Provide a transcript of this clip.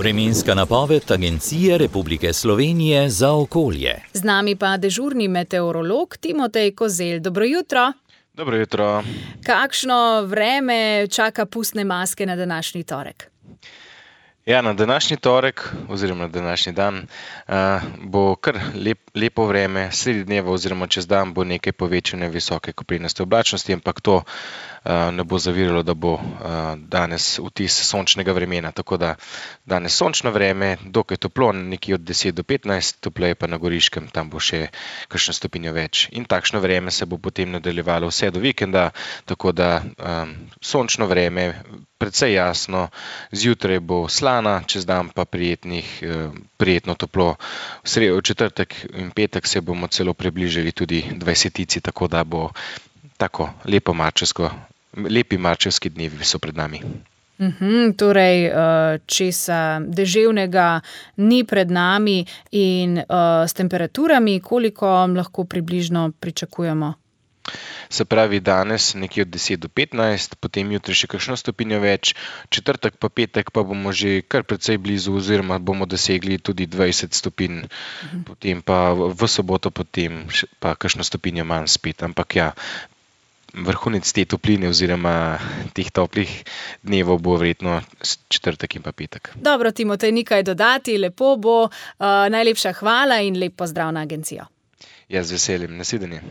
Vremenska napoved Agencije Republike Slovenije za okolje. Z nami pa dežurni meteorolog Timotej Kozelj. Dobro jutro. Dobro jutro. Kakšno vreme čaka pustne maske na današnji torek? Ja, na današnji torek oziroma na današnji dan bo kar lepo vreme, sredi dneva oziroma čez dan bo nekaj povečane visoke koprenaste oblačnosti, ampak to ne bo zaviralo, da bo danes vtis sončnega vremena. Tako da danes sončno vreme, dokaj toplo, nekje od 10 do 15, topleje pa na Goriškem, tam bo še kakšno stopinjo več. In takšno vreme se bo potem nadaljevalo vse do vikenda, tako da sončno vreme, precej jasno, zjutraj bo slana, čez dan pa prijetno toplo. V četrtek in petek se bomo celo približali tudi 20-ici, tako da bo tako lepi marčevski dnevi so pred nami. Torej, česa deževnega ni pred nami in s temperaturami, koliko lahko približno pričakujemo? Se pravi, danes nekje od 10 do 15, potem jutri še kakšno stopinjo več, četrtek pa petek pa bomo že kar precej blizu oziroma bomo dosegli tudi 20 stopinj, potem pa v soboto potem pa kakšno stopinjo manj spet, ampak ja, vrhunec te topline oziroma teh toplih dnevov bo verjetno četrtek in pa petek. Dobro, Timotej, nekaj dodati, lepo bo. Najlepša hvala in lep pozdrav na agencijo. Ja, z veseljem, nasvidenje.